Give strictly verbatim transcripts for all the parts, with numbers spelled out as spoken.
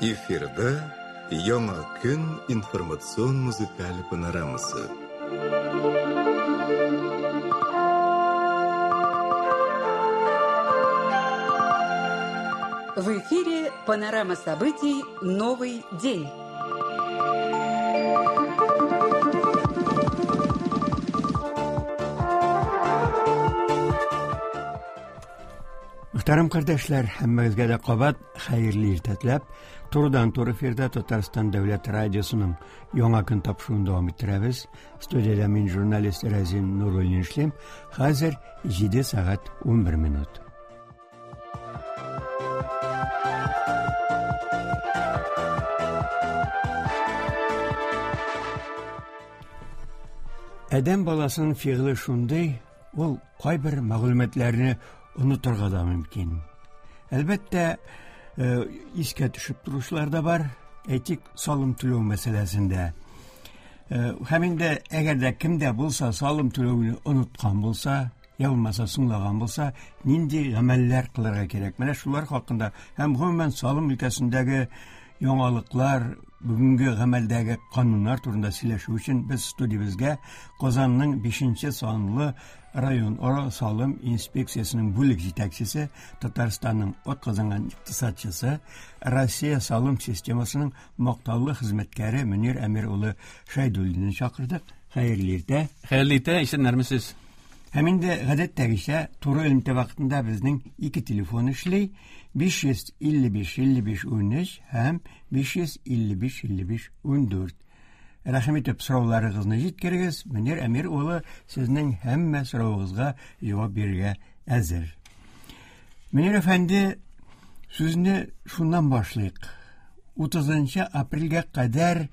Эфирда Яңа көн информацион музыкаль панорамасы. В эфире панорама событий «Новый день». Мөхтәрәм кардәшләр, һәммәгезгә дә кабат хәерле иртә теләп, турыдан-туры эфирда Татарстан дәүләт радиосының Яңа көн тапшыруын дәвам иттерәбез. Студиядә мин журналист Разин Нуруллин эшлим. Хәзер җиде сәгать унбер минут. Адәм баласының фигыле шундый, ул кайбер мәгълүматларны онытырга да мөмкин. Әлбәттә, искә төшеп торучылар да бар. Әйтик, салым түләү мәсьәләсендә. Һәм инде әгәр дә кемдә булса салым түләүне оныткан булса, я булмаса соңлаган булса, нинди гамәлләр кылырга кирәк? Менә шулар хакында һәм гомумән салым өлкәсендәге яңалыклар, бүгенге гамәлдәге кануннар турында сөйләшү өчен без студиябезгә Казанның бишенче санлы район ара салым инспекциясенең бүлек җитәкчесе, Татарстанның атказанган икътисадчысы, Россия салым системасының мактаулы хезмәткәре Мөнир Әмир улы Шәйдуллинны чакырдык. Хәерле иртә. Хәерле иртә, исәннәрмесез? Һәм инде гадәттәгечә туры элемтә вакытында безнең ике телефон эшли: биш йөз илле биш илле биш унөч һәм биш йөз илле биш илле биш ундүрт. Рәхим итеп сорауларыгызны җиткерегез. Мөнир Әмир улы сезнең һәммә соравыгызга җавап бирергә әзер. Мөнир әфәнде, сүзне шуннан башлыйк. Утызынчы апрельгә кадәр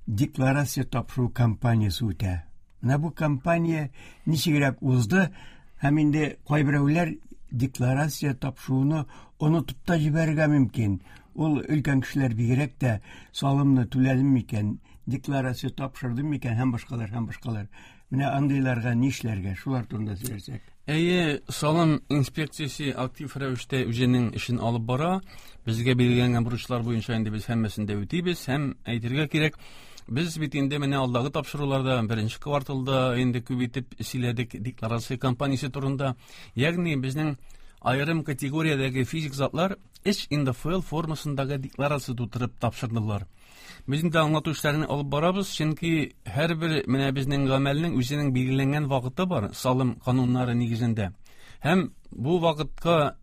декларация тапшыру кампаниясе үтә. Менә бу кампания ничегрәк узды, һәм инде кайберәүләр декларация тапшыруны онытып та җибәрергә мөмкин. Ул өлкән кешеләр бигрәк тә салымны түләдем микән, декларация тапшырдым микән һәм башкалар, һәм башкалар. Менә андыйларга нишләргә, шулар турында сөйләсәк. Әйе, салым инспекциясе актив рәвештә үзенең эшен алып бара. Безгә билгеләнгән бурычлар буенча инде без һәммәсен дә үтибез һәм әйтергә кирәк, без бит инде менә алдагы тапшыруларда беренче кварталда инде күп итеп сөйләдек декларация кампаниясе турында. Ягъни безнең аерым категориядәге физик затлар эш Н Д Ф Л формасындагы декларация тутырып тапшырдылар. Без инде аңлату эшләрен алып барабыз, чөнки һәрбер менә безнең гамәлнең үзенең билгеләнгән вакыты бар салым кануннары нигезендә. Һәм бу вакытка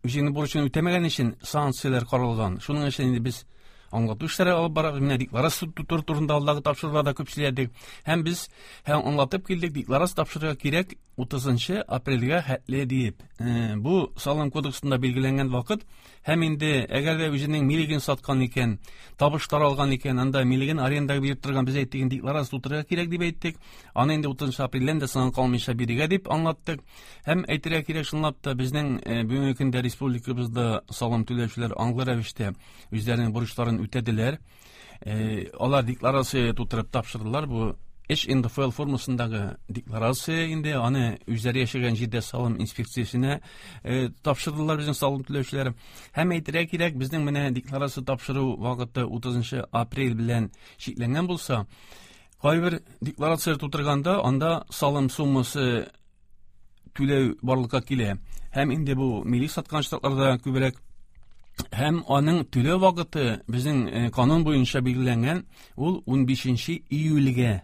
үзенең бурычын үтәмәгән өчен санкцияләр каралган. Шуның өчен инде без аңлату эшләре алып барабыз. Менә декларация тутыру турында алдагы тапшыруларда күп сөйләдек. Һәм без һәм аңлатып килдек, декларация тапшырырга кирәк утызынчы апрельгә хәтле диеп. Э, бу салым кодексында билгеләнгән вакыт. Һәм инде әгәр дә үзенең милеген саткан икән, табышлар алган икән, анда милеген арендага биреп торган без әйттек, декларация тутырырга кирәк дип әйттек. Аны инде утызынчы апрельдән дә соңга калмыйча бирергә дип аңлаттык. Һәм әйтергә кирәк, чынлап та безнең, э, бүгенге көндә республикабызда салым түләүчеләр аңлы рәвештә үзләренең бурычларын үтәделәр. Э, алар декларация тутырып тапшырдылар. Бу эш Н Д Ф Л формасындагы декларация инде аны үзләре яшәгән җирдә салым инспекциясенә, э, тапшырдылар безнең салым түләүчеләр. Һәм әйтергә кирәк, безнең менә декларация тапшыру вакыты утызынчы апрель белән чикләнгән булса, кайбер декларация тутырганда анда салым суммасы түләү барлыкка килә. Һәм инде бу милли саткан штатларда күбрәк. Һәм аның түләү вакыты безнең, э, канун буенча билгеләнгән, ул унбишенче июльгә.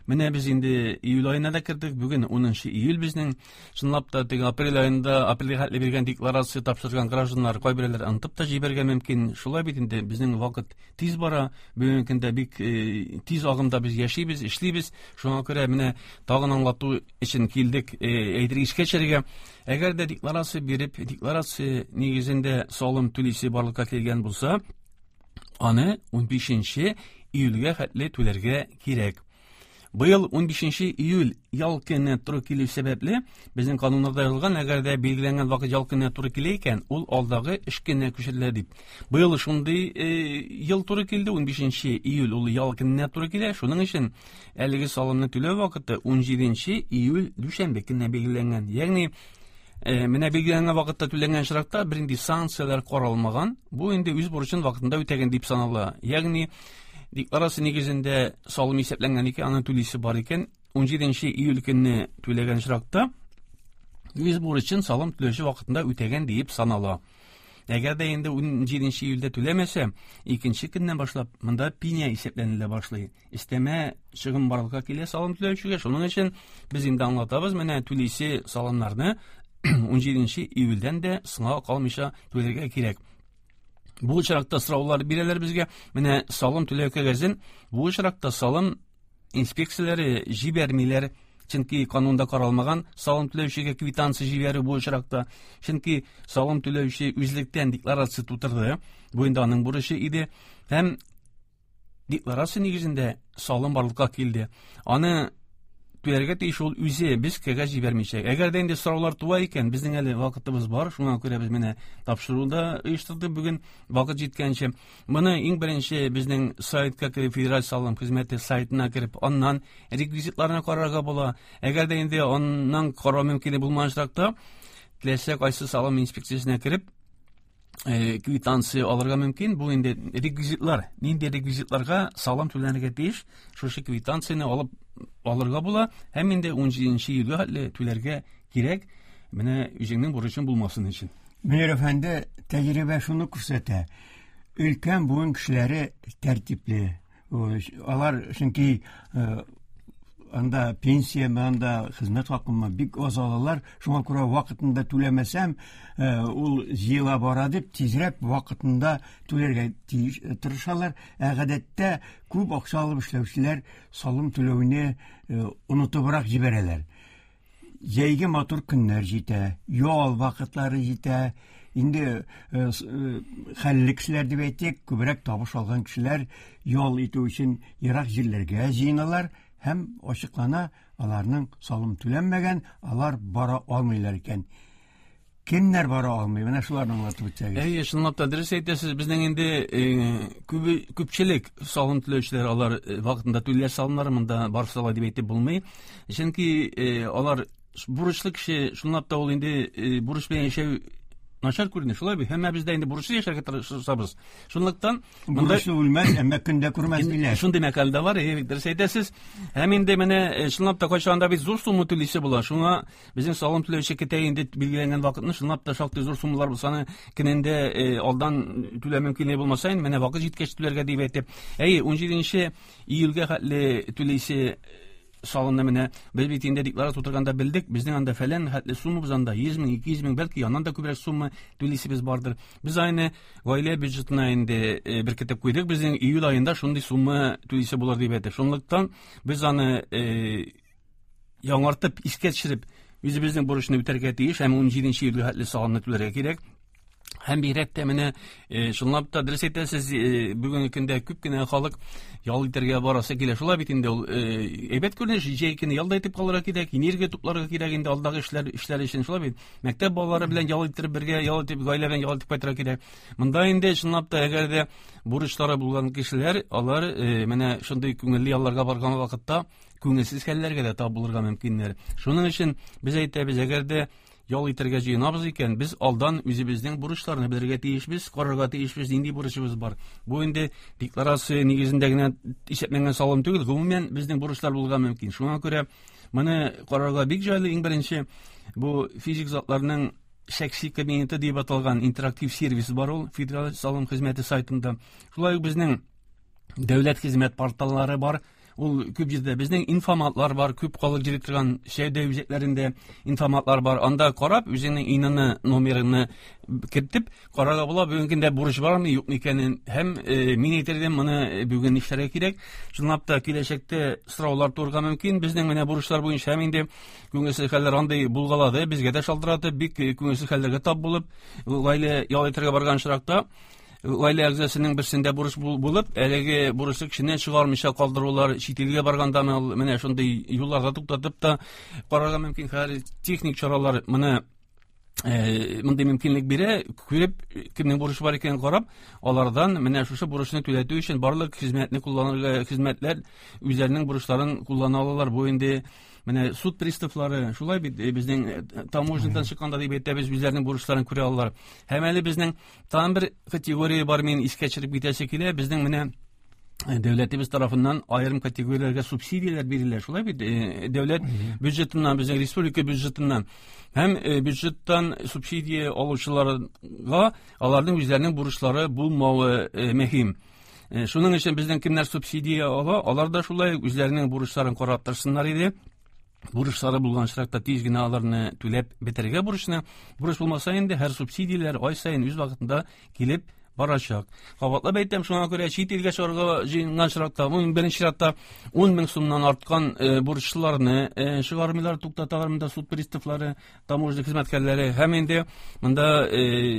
Менә без инде июль аена да кердек, бүген унынчы июль безнең. Чынлап та теге апрель аенда апрельгә хәтле биргән декларация тапшырган гражданнар кайберәүләр онытып та җибәрергә мөмкин. Шулай бит инде безнең вакыт тиз бара, бүгенге көндә бик, э, тиз агымда без яшибез, эшлибез. Шуңа күрә менә тагын аңлату өчен килдек, э, әйтергә искә төшерергә. Әгәр дә декларация биреп, декларация нигезендә салым түлисе барлыкка килгән булса, аны унбишенче июльгә хәтле түләргә кирәк. Быел унбишенче июль ял көненә туры килү сәбәпле, безнең кануннарда язылган, әгәр дә билгеләнгән вакыт ял көненә туры килә икән, ул алдагы эш көненә күчерелә дип. Быел шундый, э, ел туры килде, унбишенче июль ул ял көненә туры килә. Шуның өчен әлеге салымны түләү вакыты унҗиденче июль дүшәмбе көненә билгеләнгән. Ягъни Менә билгеләнгән вакытта түләнгән очракта бернинди санкцияләр каралмаган. Бу инде үз бурычын вакытында үтәгән дип санала. Ягъни декларация нигезендә салым исәпләнгән икән, аның түлисе бар икән, ун җиденче июль көнне түләгән очракта үз бурычын салым түләүче вакытында үтәгән дип санала. Әгәр дә инде ун җиденче июльдә түләмәсә, икенче көннән башлап монда пеня исәпләнелә башлый. Өстәмә чыгым барлыкка килә салым түләүчегә. Шуның өчен без инде аңлатабыз, менә түлисе салымнарны ун җиденче июльдән дә соңга калмыйча түләргә кирәк. Бу очракта сораулар бирәләр безгә. Менә салым түләү кәгазен бу очракта салым инспекцияләре җибәрмиләр. Чөнки канунда каралмаган салым түләүчегә квитанция җибәрү бу очракта. Чөнки салым түләүче үзлектән декларация тутырды. Бу инде аның бурычы иде. Һәм декларация нигезендә салым барлыкка килде. Аны түләргә тиеш ул үзе, без кәгазь җибәрмичә. Әгәр дә инде сораулар туа икән, безнең әле вакытыбыз бар, шуңа күрә без менә тапшыруны оештырдык бүген вакыт җиткәнче. Моны иң беренче безнең сайтка кереп, Федераль салым хезмәте сайтына кереп, аннан реквизитларны карарга була. Әгәр дә инде аннан карау мөмкинлеге булмаган очракта, теләсә кайсы салым инспекциясенә кереп, квитанция алырга мөмкин. Бу инде реквизитлар, нинди реквизитларга салым түләнергә тиеш, шушы квитанцияне алып алырга була һәм инде ун җиденче июльгә хәтле түләргә кирәк, менә үзеңнең бурычың булмасын өчен. Мөнир әфәнде, тәҗрибә шуны күрсәтә. Өлкән буын кешеләре тәртипле. Алар чөнки анда пенсия, анда хезмәт хакымы бик аз алалар. Шуңа күрә вакытында түләмәсәм, ул җыела бара дип тизрәк вакытында түләргә тиеш тырышалар. Ә гадәттә күп акча алып эшләүчеләр салым түләүне онытыбрак җибәрәләр. Җәйге матур көннәр җитә, ял вакытлары җитә. Инде хәлле кешеләр дип әйтик, күбрәк табыш алган кешеләр ял итү өчен ерак җирләргә җыеналар. Һәм ачыклана, аларның салым түләнмәгән, алар бара алмыйлар икән. Кемнәр бара алмый? Менә шуларны аңлатып үтсәгез. Әйе, чынлап та дөрес әйтәсез. Безнең инде күбе күпчелек салым түләүчеләр алар вакытында түлиләр салымнары, монда барысы алай дип әйтеп булмый. Чөнки алар бурычлы кеше, чынлап та ул инде бурыч белән яшәү начар күренә, шулай бит? Һәм без дә инде бурычлы яшәргә тырышабыз. Шунлыктан монда бурычлы үлмәс, әмма көндә күрмәс диләр. Шундый мәкаль дә бар, әйе, дөрес әйтәсез. Һәм инде менә чынлап та кайчанда бит зур сумма түлисе була. Шуңа безнең салым түләүче китә инде билгеләнгән вакытны, чынлап та шактый зур суммалар булса, аны көнендә алдан түләү мөмкинлеге булмаса, инде менә вакыт җиткәч түләргә дип әйтеп. Әйе, ун җиденче июльгә хәтле түлисе салымны менә без бит инде декларация тутырганда белдек, безнең анда фәлән хәтле сумма, анда йөз мең, ике йөз мең, бәлки аннан да күбрәк сумма түлисебез бардыр. Без аны гаилә бюджетына инде беркетеп куйдык, безнең июль аенда шундый сумма түлисе булыр дип әйтеп. Шунлыктан без аны яңартып, искә төшереп, үзебезнең бурычны үтәргә тиеш һәм ун җиденче июльгә хәтле салымны түләргә кирәк. Һәм бигрәк тә менә чынлап та дөрес әйтәсез, бүгенге көндә күп кенә халык ял итәргә барасы килә. Шулай бит инде ул әйбәт күренеш, җәй көне ял да итеп калырга кирәк, энергия тупларга кирәк инде алдагы эшләр, эшләр өчен, шулай бит. Мәктәп балалары белән ял иттереп бергә ял итеп, гаилә белән ял итеп кайтырга кирәк. Монда инде чынлап та әгәр дә бурычлары булган кешеләр, алар менә шундый күңелле ялларга барган вакытта күңелсез хәлләргә дә тап булырга мөмкиннәр. Шуның өчен без әйтәбез, әгәр дә ял итәргә җыенабыз икән, без алдан үзебезнең бурычларны белергә тиешбез, карарга тиешбез, нинди бурычыбыз бар. Бу инде декларация нигезендә генә исәпләнгән салым түгел, гомумән безнең бурычлар булырга мөмкин. Шуңа күрә моны карарга бик җайлы. Иң беренче бу физик затларның шәхси кабинеты дип аталган интерактив сервис бар ул Федераль салым хезмәте сайтында. Шулай ук безнең дәүләт хезмәт порталлары бар. Ул күп җирдә безнең информатлар бар, күп халык йөри торган сәүдә үзәкләрендә информатлар бар. Анда карап, үзеңнең ИНН номерыңны кертеп, карарга була, бүгенге көндә бурыч бармы, юкмы икәнен. Һәм мин әйтер идем, моны бүген нишләргә кирәк. Чынлап та киләчәктә сораулар туырга мөмкин. Безнең менә бурычлар буенча һәм инде күңелсез хәлләр андый булгалады, безгә дә шалтыратып, бик күңелсез хәлләргә тап булып, гаилә ял итәргә барган очракта гаилә әгъзасының берсендә бурыч булып, әлеге бурычлы кешене чыгармыйча калдырулар, чит илгә барганда менә шундый юлларда туктатып та карарга мөмкин. Хәзер техник чаралар моны мондый мөмкинлек бирә, күреп кемнең бурычы бар икәнен карап, алардан менә шушы бурычны түләтү өчен барлык хезмәтне кулланырга, хезмәтләр үзләренең бурычларын куллана алалар. Бу инде менә суд приставлары, шулай бит, безнең таможнядан чыкканда дип әйтәбез, үзләренең бурычларын күрә алалар. Һәм әле безнең тагын бер категория бар, мин искә төшереп китәсе килә, безнең менә дәүләтебез тарафыннан аерым категорияләргә субсидияләр бирелә, шулай бит, дәүләт бюджетыннан, безнең республика бюджетыннан. Һәм бюджеттан субсидия алучыларга аларның үзләренең бурычлары булмавы мөһим. Шуның өчен безнең кемнәр субсидия ала, алар да шулай үзләренең бурычларын карап торсыннар иде. Бурычлары булган очракта тиз генә аларны түләп бетерергә бурычны. Бурыч булмаса инде һәр субсидияләр ай саен үз вакытында килеп барачак. Кабатлап әйтәм, шуңа күрә чит илгә чыгарга җыенган чиратта, ун беренче чиратта ун мең сумнан арткан бурычларны чыгармыйлар, туктаталар монда суд приставлары, таможня хезмәткәрләре. Һәм инде монда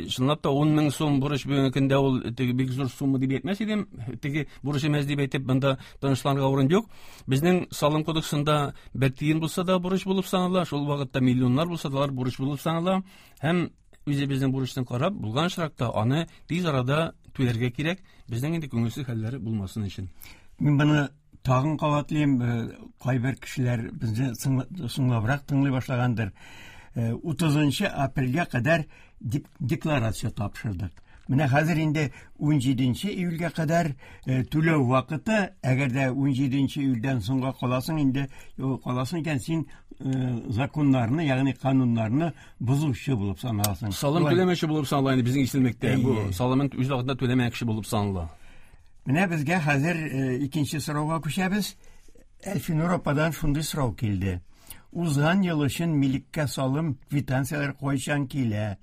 чынлап та ун мең сум бурыч бүгенге көндә ул теге бик зур сумма дип әйтмәс идем, теге бурыч эмәс дип әйтеп монда тынычланырга урын юк. Безнең салым кодексында бер тиен булса да бурыч булып санала, шул вакытта миллионнар булса да бурыч булып санала. Һәм үзебезнең бурычны карап, булган очракта аны тиз арада түләргә кирәк, безнең инде күңелсез хәлләр булмасын өчен. Мин моны тагын кабатлыйм, кайбер кешеләр безне соңлабрак тыңлый башлагандыр. утызынчы апрельгә кадәр декларация тапшырдык. Менә хәзер инде ун җиденче июльгә кадәр түләү вакыты, әгәр дә ун җиденче июльдән соңга каласың инде, каласың икән, син законнарны, ягъни кануннарны бозучы булып саналасың. Салым түләмәүче булып санала инде безнең исемлектә. Бу салымын үз вакытында түләмәгән кеше булып санала. Менә безгә хәзер икенче сорауга күчәбез. Әлфинур ападан шундый сорау килде. Узган ел өчен милеккә салым квитанцияләр кайчан килә?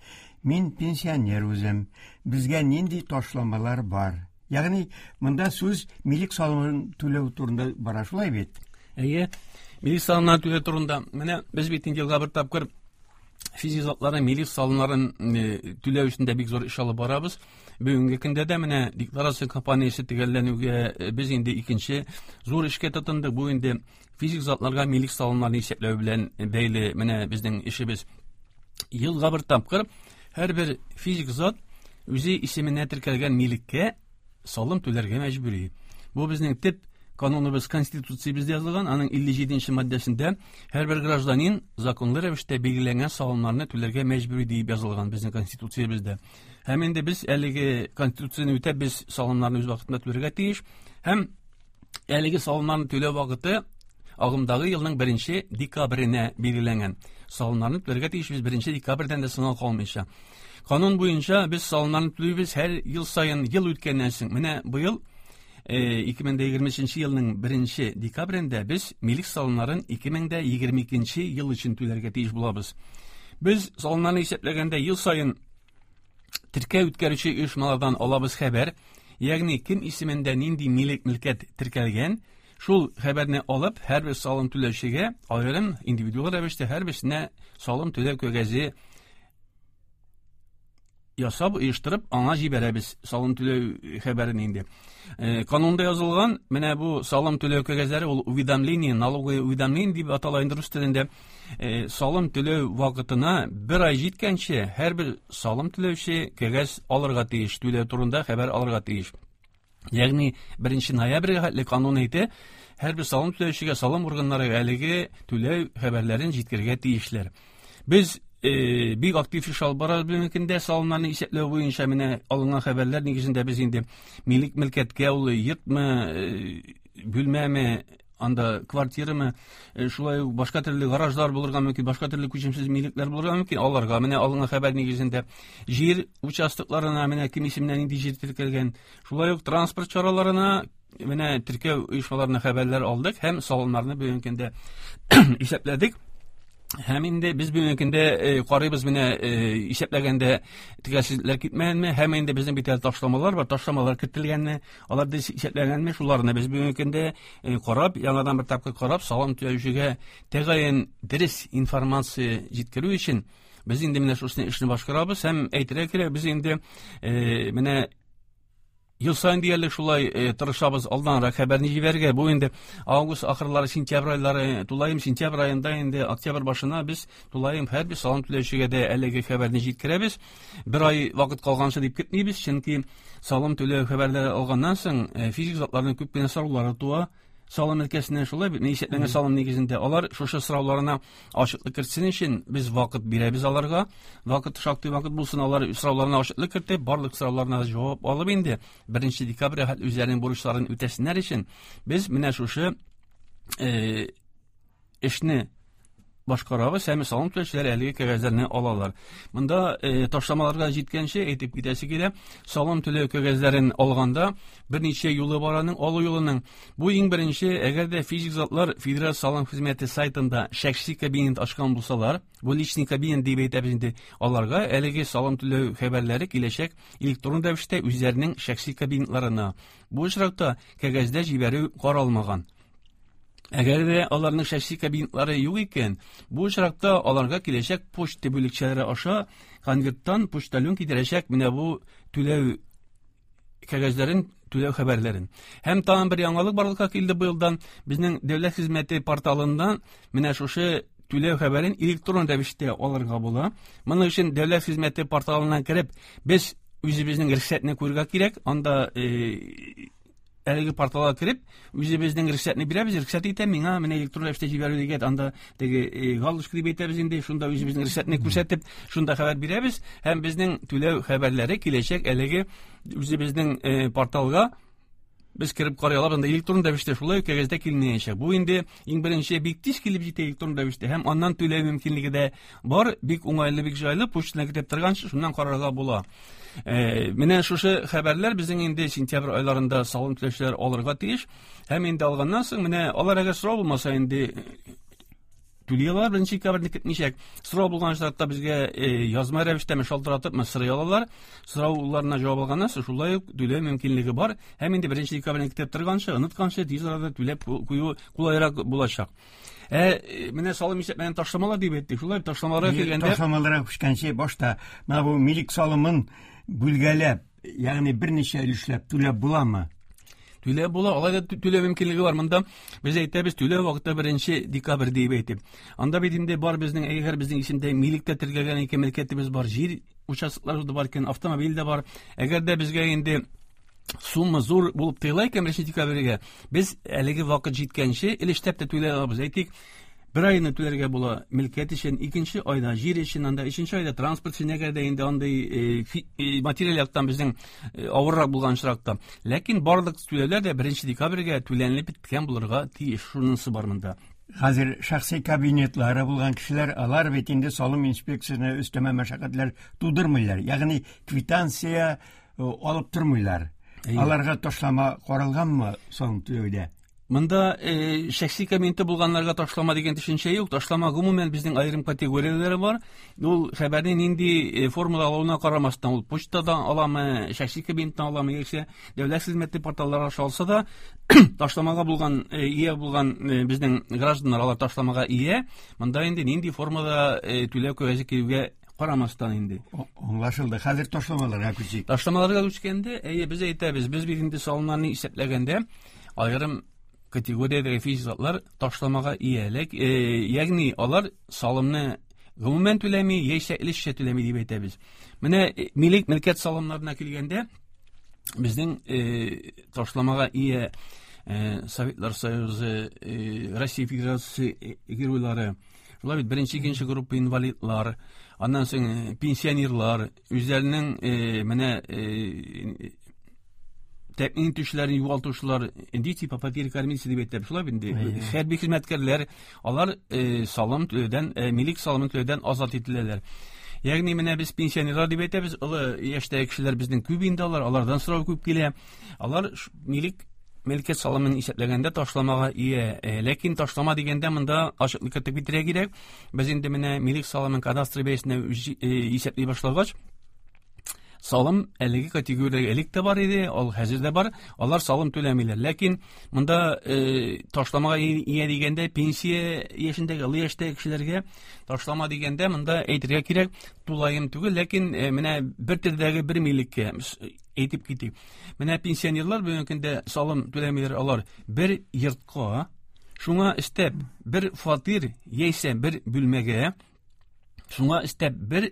Мин пенсионер үзем. Безгә нинди ташламалар бар? Ягъни монда сүз милек салымын түләү турында бара, шулай бит? Әйе, милек салымнарын түләү турында. Менә без бит инде елга бер тапкыр физик затларның милек салымнарын түләү өчен дә бик зур эш алып барабыз. Бүгенге көндә дә менә декларация кампаниясе төгәлләнүгә без инде икенче зур эшкә тотындык. Бу инде физик затларга милек салымнарын исәпләү белән бәйле менә безнең эшебез. Елга бер тапкыр һәрбер физик зат үзе исеменә теркәлгән милеккә салым түләргә мәҗбүри. Бу безнең төп кануныбыз, конституциябездә язылган, аның илле җиденче маддәсендә һәрбер гражданин законлы рәвештә билгеләнгән салымнарны түләргә мәҗбүри дип язылган безнең конституциябездә. Һәм инде без әлеге конституцияне үтәп без салымнарны үз вакытында түләргә тиеш. Һәм әлеге салымнарны түләү вакыты агымдагы елның беренче декабренә билгеләнгән. Салымнарны түләргә тиеш без беренче декабрьдән дә соңга калмыйча. Канун буенча без салымнарны түлибез һәр ел саен ел үткәннән соң. Менә быел ике мең егерме өченче елның беренче декабрендә без милек салымнарын ике мең егерме икенче ел өчен түләргә тиеш булабыз. Без салымнарны исәпләгәндә ел саен теркәү үткәрүче оешмалардан алабыз хәбәр, ягъни кем исемендә нинди милек мөлкәт теркәлгән, шул хәбәрне алып һәрбер салым түләүчегә аерым индивидуаль рәвештә һәрберсенә салым түләү кәгазе ясап оештырып аңа җибәрәбез салым түләү хәбәрен инде. Канунда язылган менә бу салым түләү кәгазьләре ул уведомление, налоговое уведомление дип атала инде рус телендә. Салым түләү вакытына бер ай җиткәнче һәрбер салым түләүче кәгазь алырга тиеш, түләү турында хәбәр алырга тиеш. Ягъни беренче ноябрьгә хәтле канун әйтә, һәрбер салым түләүчегә салым органнары әлеге түләү хәбәрләрен җиткерергә тиешләр. Без бик актив эш алып барабыз бүгенге көндә салымнарны исәпләү буенча. Менә алынган хәбәрләр нигезендә без инде милек мөлкәткә ул йортмы, бүлмәме, анда квартирамы, шулай ук башка төрле гаражлар булырга мөмкин, башка төрле күчемсез милекләр булырга мөмкин. Аларга менә алынган хәбәр нигезендә җир участокларына менә кем исеменнән нинди җир теркәлгән, шулай ук транспорт чараларына менә теркәү оешмаларына хәбәрләр алдык һәм салымнарны бүгенге көндә исәпләдек. Һәм инде без бүгенге көндә карыйбыз менә исәпләгәндә төгәлсезлекләр китмәгәнме, һәм инде безнең бит әле ташламалар бар, ташламалар кертелгәнме, алар дөрес исәпләгәнме, шуларны без бүгенге көндә карап, яңадан бер тапкыр карап, салым түләүчегә тәгаен дөрес информация җиткерү өчен без инде менә шушы эшне башкарабыз. Һәм әйтергә кирәк, без инде менә Ел саен диярлек шулай э, тырышабыз алданрак хәбәрне җибәрергә. Бу инде август ахырлары, сентябрь айлары, тулаем сентябрь аенда инде октябрь башына без тулаем һәрбер салым түләүчегә дә әлеге хәбәрне җиткерәбез. Бер ай вакыт калганчы дип көтмибез, чөнки салым түләү хәбәрләре алганнан соң э, физик затларның күп кенә сораулары туа. Салым өлкәсеннән шулай бит, исәпләнгән салым нигезендә алар шушы сорауларына ачыклык кертсен өчен без вакыт бирәбез аларга. Вакыт шактый вакыт булсын, алар сорауларына ачыклык кертеп, барлык сорауларына җавап алып инде беренче декабрьгә хәтле үзләренең бурычларын үтәсеннәр өчен без менә шушы э, эшне башкарабыз һәм салым түләүчеләр әлеге кәгазьләрне алалар. Монда э, ташламаларга җиткәнче әйтеп китәсе килә, салым түләү кәгазьләрен алганда берничә юлы бар аның, алу юлының. Бу иң беренче, әгәр дә физик затлар Федераль салым хезмәте сайтында шәхси кабинет ачкан булсалар, бу личный кабинет дип әйтәбез инде, аларга әлеге салым түләү хәбәрләре киләчәк электрон рәвештә үзләренең шәхси кабинетларына. Бу очракта кәгазьдә җибәрү каралмаган. Әгәр дә аларның шәхси кабинетлары юк икән, бу очракта аларга киләчәк почта бүлекчәләре аша конверттан почтальон китерәчәк менә бу түләү кәгазьләрен, түләү хәбәрләрен. Һәм тагын бер яңалык барлыкка килде быелдан. Безнең дәүләт хезмәте порталыннан менә шушы түләү хәбәрен электрон рәвештә алырга була. Моның өчен дәүләт хезмәте порталына кереп, без үзебезнең рөхсәтне күрергә кирәк. Анда, э, әлеге порталга кереп, үзебезнең рөхсәтне бирәбез, рөхсәт итә миңа менә электрон рәвештә җибәрү дигән, анда теге, э, галочка дип әйтәбез инде, шунда үзебезнең рөхсәтне күрсәтеп, шунда хәбәр бирәбез һәм безнең түләү хәбәрләре киләчәк әлеге үзебезнең, э, порталга без кереп карый алабыз. Анда электрон рәвештә шулай ук кәгазьдә килмәячәк. Бу инде иң беренче бик тиз килеп җитә электрон рәвештә һәм аннан түләү мөмкинлеге дә бар, бик уңайлы, бик җайлы, почтаны көтеп торганчы шуннан карарга була. Э, менә шушы хәбәрләр безнең инде сентябрь айларында салым түләүчеләр алырга тиеш. Һәм инде алганнан соң менә алар әгәр сорау булмаса инде түли алалар, беренче декабрьне көтмичәк. Сорау булган очракта безгә, э, язма рәвештә шалтыратып сорый алалар. Сорауларына җавап алганнан соң шулай ук түләү мөмкинлеге бар. Һәм инде беренче декабрьне көтеп торганчы, онытканчы тиз арада түләп кую кулайрак булачак. Ә, менә салым исәпләгән ташламалар дип әйттек. Шулай ташламаларга килгәндә Ташламаларга күчкәнче башта менә бу милек салымын бүлгәләп, ягъни берничә өлешләп түләп буламы? Түләп була, алай да түләү мөмкинлеге бар. Монда без әйтәбез, түләү вакыты беренче декабрь дип әйтеп. Анда бит инде бар безнең, әгәр безнең исемдә милектә теркәлгән ике мөлкәтебез бар, җир участоклары да бар икән, автомобиль дә бар. Әгәр дә безгә инде сумма зур булып тоела икән беренче декабрьгә, без әлеге вакыт җиткәнче өлешләп тә түләй алабыз. Әйтик, бер айны түләргә була мөлкәт өчен, икенче айда җир өчен, анда өченче айда транспорт өчен, әгәр дә инде андый, э, фи-, э, материаль яктан безнең, э, авыррак булган очракта. Ләкин барлык түләүләр дә беренче декабрьгә түләнелеп беткән булырга тиеш. Шунысы бар монда. Хәзер шәхси кабинетлары булган кешеләр, алар бит инде салым инспекциясенә өстәмә мәшәкатьләр тудырмыйлар. Ягъни квитанция, э, алып тормыйлар. Әйе. Аларга ташлама каралганмы салым түләүдә? Монда, э, шәхси кабинеты булганнарга ташлама дигән төшенчә юк. Ташлама гомумән безнең аерым категорияләре бар. Ул хәбәрне нинди, э, формада алуына карамастан, ул почтадан аламы, шәхси кабинеттан аламы, яисә дәүләт хезмәте порталлары аша алса да, ташламага булган, э, ия булган, э, безнең гражданнар алар ташламага ия. Монда инде нинди формада, э, түләү кәгазе килүгә карамастан инде. О-, аңлашылды. Хәзер ташламаларга күчик. Ташламаларга күчкәндә, әйе, без әйтәбез, без бит инде салымнарны исәпләгәндә аерым категориядәге физик затлар ташламага ия. Ләк, э, ягъни алар салымны гомумән түләми, яисә өлешчә түләми дип әйтәбез. Менә, э, милек мөлкәт салымнарына килгәндә, безнең, э, ташламага ия, э, Советлар Союзы, э, Россия Федерациясе, э, геройлары, шулай бит беренче, икенче группа инвалидлар, аннан соң, э, пенсионерлар, үзләренең, э, менә, э, тәэмин итүчеләрен югалтучылар, дети по потере кормильца дип әйтәбез, шулай бит инде. Әйе. Хәрби хезмәткәрләр, алар, э, салым түләүдән, э, милек салымын түләүдән азат ителәләр. Ягъни менә без пенсионерлар дип әйтәбез, олы яшьтәге кешеләр безнең күп инде алар, алардан сорау күп килә. Алар ш-, милек мөлкәт салымын исәпләгәндә ташламага ия. Э, ләкин ташлама дигәндә монда ачыклык кертеп китерергә кирәк. Без инде менә милек салымын кадастр бәясенә үз-, э, исәпли башлагач, салым әлеге категориягә элек тә бар иде, ул хәзер дә бар. Алар салым түләмиләр. Ләкин монда, э, ташламага ия дигәндә пенсия яшендәге, олы яшьтәге кешеләргә ташлама дигәндә монда әйтергә кирәк, тулаем түгел, ләкин, э, менә бер төрдәге бер милеккә, әйтеп китик. Менә пенсионерлар бүгенге көндә салым түләмиләр, алар бер йортка, шуңа өстәп бер фатир яисә бер бүлмәгә, шуңа өстәп бер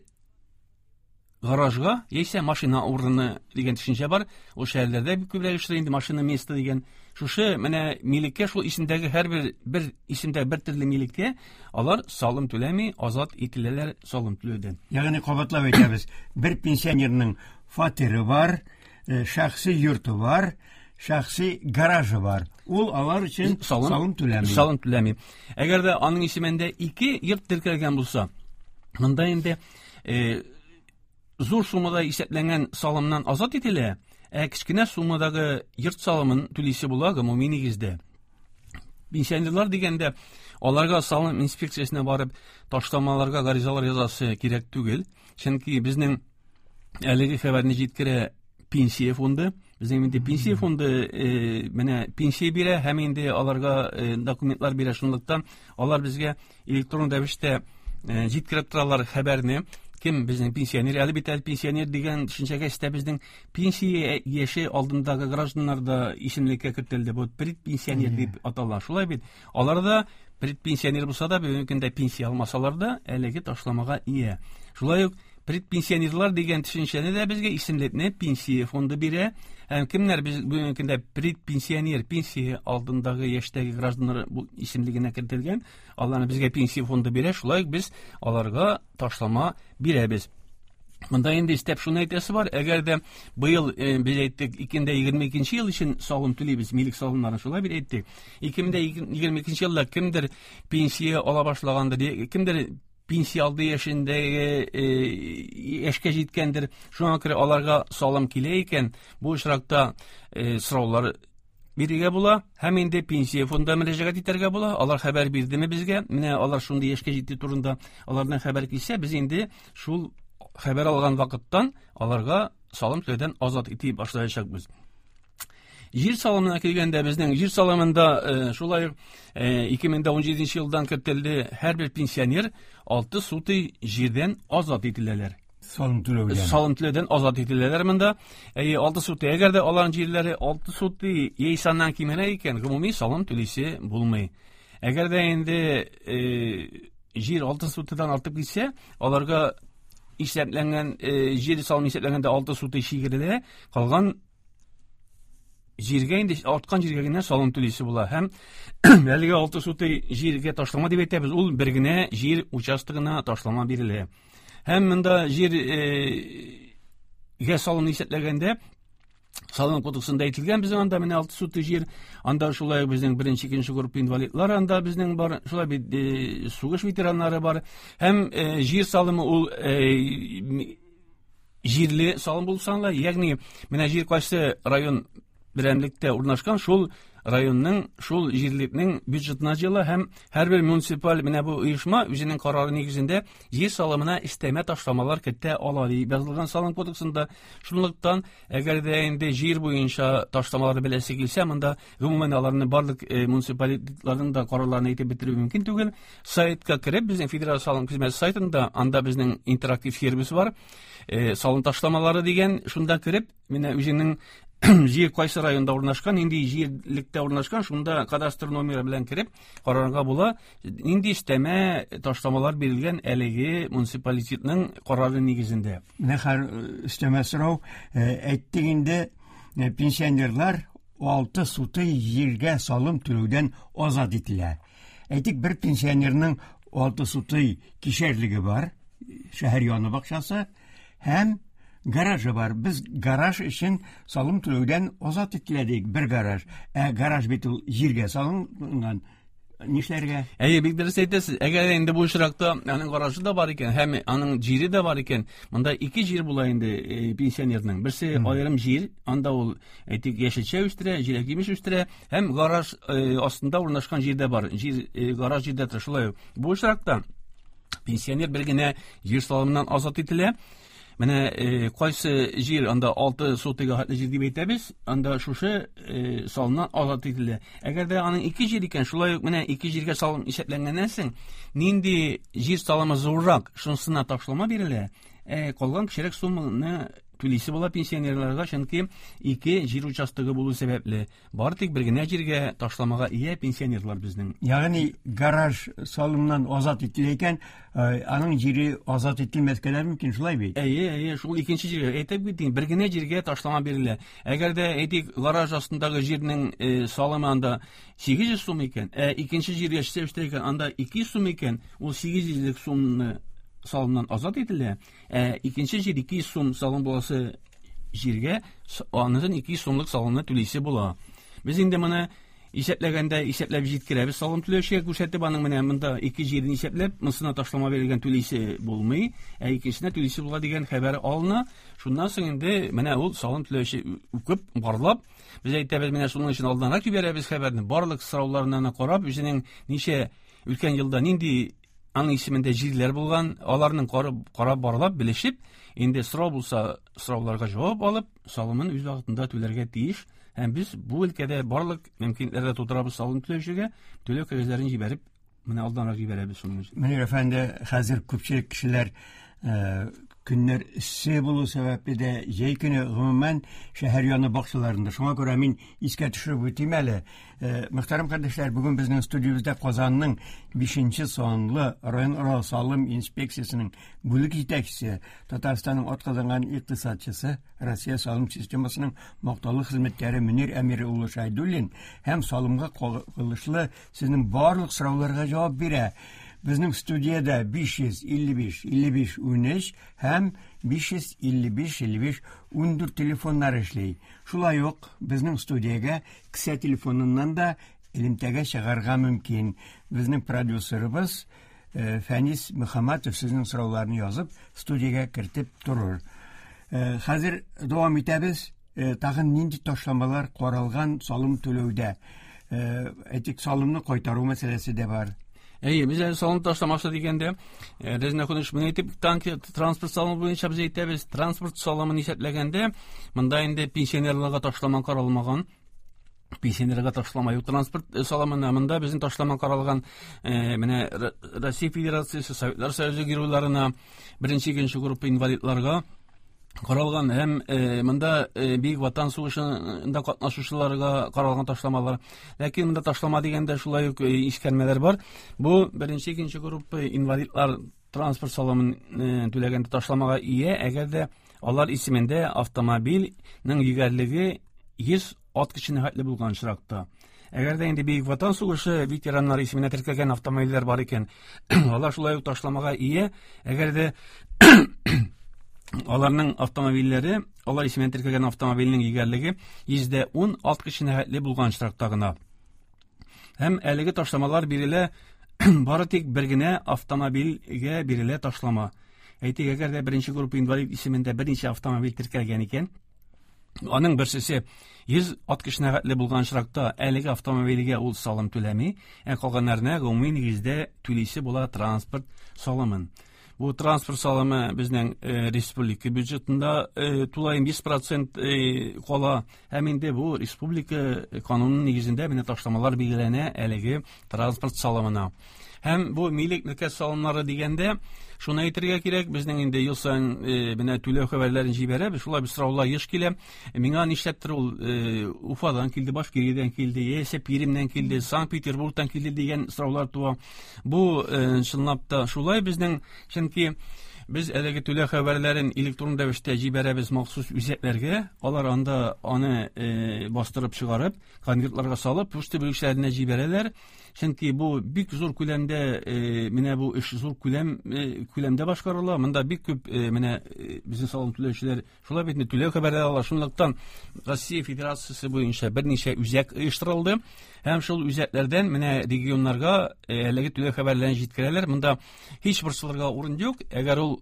гаражга яисә машина урыны дигән төшенчә бар. Ул шәһәрләрдә бик күбрәк эшләй инде машина место дигән. Шушы менә милеккә, шул исемдәге һәрбер бер исемдә бер төрле милеккә алар салым түләми, азат ителәләр салым түләүдән. Ягъни кабатлап әйтәбез, бер пенсионерның фатиры бар, шәхси йорты бар, шәхси гаражы бар. Ул алар өчен салым түләми. Салым түләми. Әгәр дә аның исемендә ике йорт теркәлгән булса, монда инде зур суммада исәпләнгән салымнан азат ителә, ә кечкенә суммадагы йорт салымын түлисе була гомуми нигездә. Пенсионерлар дигәндә, аларга салым инспекциясенә барып ташламаларга гаризалар язасы кирәк түгел, чөнки безнең әлеге хәбәрне җиткерә пенсия фонды. Безнең инде пенсия фонды менә пенсия бирә һәм инде аларга документлар бирә, шунлыктан алар безгә электрон рәвештә җиткереп торалар хәбәрне. Кем безнең пенсионер? Әле бит әле пенсионер дигән төшенчәгә истә безнең пенсия яше алдындагы гражданнар да исемлеккә кертелде. Бу предпенсионер дип атала. Шулай бит. Алар да предпенсионер булса да, бүгенге көндә пенсия алмасалар да, әлеге ташламага ия. Шулай ук предпенсионерлар дигән төшенчәне дә безгә исемлекне пенсия фонды бирә. Һәм кемнәр без бүгенге көндә предпенсионер, пенсия алдындагы яшьтәге гражданнар бу исемлегенә кертелгән, аларны безгә пенсия фонды бирә. Шулай ук без аларга ташлама бирәбез. Монда инде истәп шуны әйтәсе бар, әгәр дә быел без әйттек, ике мең егерме икенче ел өчен салым түлибез, милек салымнарын шулай бит әйттек. ике мең егерме икенче елда кемдер пенсия ала башлагандыр, кемдер пенсия алды яшендәге яшькә җиткәндер, шуңа күрә аларга салым килә икән, бу очракта сораулар бирергә була һәм инде пенсия фондына мөрәҗәгать итәргә була. Алар хәбәр бирдеме безгә? Менә алар шундый яшькә җитте турында алардан хәбәр килсә, без инде шул хәбәр алган вакыттан аларга салым түләүдән азат итә башлаячакбыз. Җир салымына килгәндә, безнең җир салымында шулай ук ике мең ун җиденче елдан кертелде, һәрбер пенсионер алты сутый җирдән азат ителәләр. Салым түләүдән. Салым түләүдән азат ителәләр монда. Әйе, алты сутый. Әгәр дә аларның җирләре алты сутый яисә аннан кимрәк икән, гомуми салым түлисе булмый. Әгәр дә инде җир алты сутыйдан артып китсә, аларга исәпләнгән җир салымы исәпләнгәндә алты сутый чигерелә, калган җиргә инде арткан җиргә генә салым түлисе була. Һәм әлеге алты сутый җиргә ташлама дип әйтәбез, ул бер генә җир участогына ташлама бирелә. Һәм монда җиргә салымны исәпләгәндә салым кодексында әйтелгән, безнең анда менә алты сутый җир, анда шулай безнең беренче, икенче группа инвалидлар, анда безнең бар, шулай бит сугыш ветераннары бар. Һәм җир салымы ул җирле салым булып санала, ягъни менә җир кайсы район берәмлектә урнашкан, шул районның, шул җирлекнең бюджетына җыела һәм һәрбер муниципаль менә бу оешма үзенең карары нигезендә җир салымына өстәмә ташламалар кертә ала дип язылган салым кодексында. Шунлыктан, әгәр дә инде җир буенча ташламалар беләсе килсә, монда гомумән аларны барлык муниципалитетларның да карарларын әйтеп бетерү мөмкин түгел. Сайтка кереп, безнең федераль салым хезмәте сайтында, анда безнең интерактив сервис бар, салым ташламалары дигән, шунда кереп, менә үзенең җир кайсы районда урнашкан, нинди җирлектә урнашкан, шунда кадастр номеры белән кереп карарга була, нинди өстәмә ташламалар бирелгән әлеге муниципалитетның карары нигезендә. Менә хәзер өстәмә сорау, әйттек инде, пенсионерлар алты сутый җиргә салым түләүдән азат ителә. Әйтик, бер пенсионерның алты сутый кишәрлеге бар, шәһәр яны бакчасы һәм гаражы бар. Без гараж өчен салым түләүдән азат ителә бер гараж. Ә гараж бит ул җиргә салынган. Нишләргә? Әйе, бик дөрес әйтәсез. Әгәр инде бу очракта аның гаражы да бар икән, һәм аның җире дә бар икән, монда ике җир була инде пенсионерның. Берсе аерым җир, анда ул әйтик яшелчә үстерә, җиләк-җимеш үстерә, һәм гараж астында урнашкан җир дә бар. Җир гараж җирдә тора. Шулай ук бу очракта пенсионер бер генә җир салымыннан азат ителә. Менә кайсы җир, анда алты сотыйга хәтле җир дип әйтәбез, анда шушы салымнан азат ителә. Әгәр дә аның ике җир икән, шулай ук менә ике җиргә салым исәпләнгәннән соң, нинди җир салымы зуррак, шунысына ташлама бирелә, ә калган кечерәк сумманы түлисе була пенсионерларга, чөнки ике җир участогы булу сәбәпле. Бары тик бер генә җиргә ташламага ия пенсионерлар безнең. Ягъни гараж салымнан азат ителә икән, аның җире азат ителмәскә дә мөмкин, шулай бит? Әйе, әйе, шул икенче җиргә әйтеп китим, бер генә җиргә ташлама бирелә. Әгәр дә әйтик, гараж астындагы җирнең салымы анда сигез йөз сум икән, ә икенче җиргә эшләүче икән, анда ике йөз сум икән, ул сигез йөзлек сумны салымнан азат ителә. Ә икенче җир ике йөз сум салым буласы җиргә анысын ике йөз сумлык салымны түлисе була. Без инде моны исәпләгәндә исәпләп җиткерәбез, салым түләүчегә күрсәтеп, аның менә монда ике җирен исәпләп, монысына ташлама бирелгән түлисе булмый, ә икенчесенә түлисе була дигән хәбәр алына. Шуннан соң инде менә ул салым түләүче укып, барлап, без әйтәбез, менә шуның өчен алданрак җибәрәбез хәбәрне, барлык сорауларына карап, үзенең ничә үткән елда нинди аның исемендә җирләр булган, аларның карап, карап барлап, белешеп, инде сорау булса, сорауларга җавап алып, салымын үз вакытында түләргә тиеш. Һәм без бу өлкәдә барлык мөмкинлекләрне тутырабыз салым түләүчегә, түләү кәгазьләрен җибәреп, менә алданрак җибәрәбез шуның өчен. Мөнир әфәнде, хәзер күпчелек кешеләр көннәр эссе булу сәбәпле дә җәй көне гомумән шәһәр яны бакчаларында. Шуңа күрә мин искә төшереп үтим әле. Мөхтәрәм кардәшләр, бүген безнең студиябездә Казанның бишенче санлы районара салым инспекциясенең бүлек җитәкчесе, Татарстанның атказанган икътисадчысы, Россия салым системасының мактаулы хезмәткәре Мөнир Әмир улы Шәйдуллин һәм салымга кагылышлы сезнең барлык сорауларга җавап бирә. Безнең студияда биш йөз илле биш илле биш унөч һәм биш йөз илле биш илле биш ундүрт телефоннар эшли. Шулай ук безнең студиягә кесә телефоныннан да элемтәгә чыгарга мөмкин. Безнең продюсерыбыз Фәнис Мөхәммәтов сезнең сорауларны язып студиягә кертеп торыр. Хәзер дәвам итәбез. Тагын нинди ташламалар каралган салым түләүдә? Әйтик, салымны кайтару мәсьәләсе дә бар. Әйе, без әле салым ташламасы дигәндә, Резина Хунович, моны әйтеп, транспорт салымы буенча без әйтәбез, транспорт салымын исәпләгәндә, монда инде пенсионерларга ташлама каралмаган, пенсионерга ташлама юк транспорт салымына, монда безнең ташлама каралган, менә Россия Федерациясе, Советлар Союзы геройларына, беренче, икенче группа инвалидларга каралган һәм монда Бөек Ватан сугышында катнашучыларга каралган ташламалар. Ләкин монда ташлама дигәндә шулай ук искәрмәләр бар. Бу беренче, икенче группа инвалидлар транспорт салымын түләгәндә ташламага ия, әгәр дә алар исемендә автомобильнең йөгәрлеге йөз ат көченә хәтле булган очракта. Әгәр дә инде Бөек Ватан сугышы ветераннары исеменә теркәлгән автомобильләр бар икән, алар шулай ук ташламага ия, әгәр дә аларның автомобильләре, алар исеменә теркәлгән автомобильнең йөгәрлеге йөздә ун ат көченә хәтле булган очракта гына. Һәм әлеге ташламалар бирелә бары тик бер генә автомобильгә бирелә ташлама. Әйтик, әгәр дә беренче группа инвалид исемендә берничә автомобиль теркәлгән икән, аның берсесе йөз ат көченә хәтле булган очракта әлеге автомобильгә ул салым түләми, ә калганнарына гомуми нигездә түлисе була транспорт салымын. Бу транспорт салымы безнең республика бюджетында тулаем йөз процент кала, һәм инде бу республика кануны нигезендә менә ташламалар билгеләнә әлеге транспорт салымына. Һәм бу милек мөлкәт салымнары дигәндә шуны әйтергә кирәк, безнең инде ел саен менә түләү хәбәрләрен җибәрәбез, шулай бер сораулар еш килә. Миңа нишләптер ул Уфадан килде, Башкириядән килде, яисә Пермьнән килде, Санкт-Петербургтан килде дигән сораулар туа. Бу чынлап та шулай безнең, чөнки без әлеге түләү хәбәрләрен электрон рәвештә җибәрәбез махсус үзәкләргә, алар анда аны бастырып чыгарып, конвертларга салып, почта бүлекчәләренә җибәрәләр. Чөнки бу бик зур күләмдә, менә бу эш зур күләм, күләмдә башкарыла. Монда бик күп менә безнең салым түләүчеләр шулай бит түләү хәбәрләре ала. Шунлыктан Россия Федерациясе буенча берничә үзәк оештырылды. Һәм шул үзәкләрдән менә регионнарга әлеге түләү хәбәрләрен җиткерәләр. Монда һич борчылырга урын юк. Әгәр ул